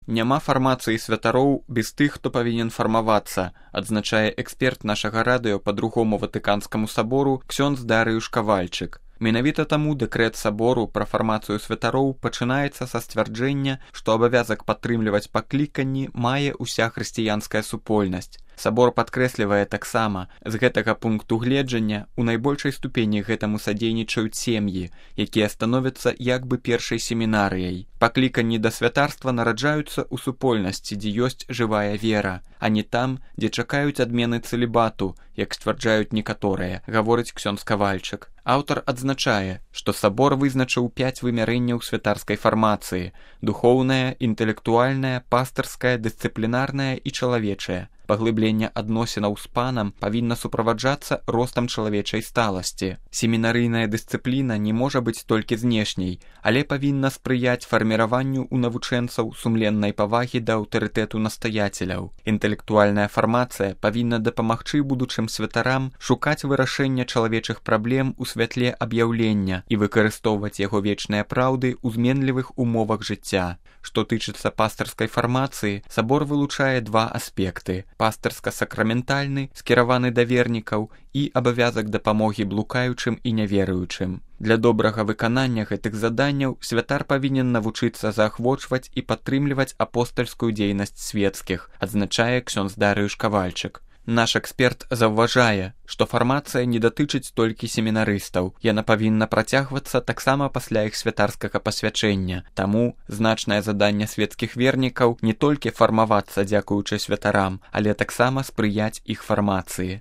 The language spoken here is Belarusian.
Няма фармацыі святароў без тых, хто павінен фармавацца, адзначае эксперт нашага радыё па другому Ватыканскаму сабору ксёндз Дарыюш Кавальчык. Менавіта таму дэкрэт сабору пра фармацыю святароў пачынаецца са сцвярджэння, што абавязак падтрымліваць пакліканні мае ўся хрысціянская супольнасць. Сабор падкрэслівае таксама, з гэтага пункту гледжання у найбольшай ступені гэтаму садзейнічаюць сем'і, якія становяцца як бы першай семінарыяй. Пакліканні да святарства нараджаюцца ў супольнасці, дзе ёсць жывая вера, а не там, дзе чакаюць адмены цэлібату, як сцвярджаюць некаторыя, гаворыць ксёндз Кавальчык. Аўтар адзначае, што сабор вызначыў 5 вымярэнняў святарскай фармацыі: духоўная, інтэлектуальная, пастырская, дысцыплінарная і чалавечая. Паглыбленне адносінаў з панам павінна суправаджацца ростам чалавечай сталасці. Семінарыйная дысцыпліна не можа быць толькі знешняй, але павінна спрыяць фарміраванню ў навучэнцаў сумленнай павагі да аўтарытэту настаяцеляў. Інтэлектуальная фармацыя павінна дапамагчы будучым святарам шукаць вырашэння чалавечых праблем у святле аб'яўлення і выкарыстоўваць яго вечныя праўды ў зменлівых умовах жыцця. Што тычыцца пастырскай фармацыі, сабор вылучае 2 аспекты: пастырска-сакраментальны, скіраваны да вернікаў, і абавязак дапамогі блукаючым і няверуючым. Для добрага выканання гэтых заданняў святар павінен навучыцца заахвочваць і падтрымліваць апостальскую дзейнасць свецкіх, адзначае ксёндз Дарыюш Кавальчык. Наш эксперт заўважае, што фармацыя не датычыць толькі семінарыстаў, яна павінна працягвацца таксама пасля іх святарскага пасвячэння. Таму значнае заданне свецкіх вернікаў не толькі фармавацца дзякуючы святарам, але таксама спрыяць іх фармацыі.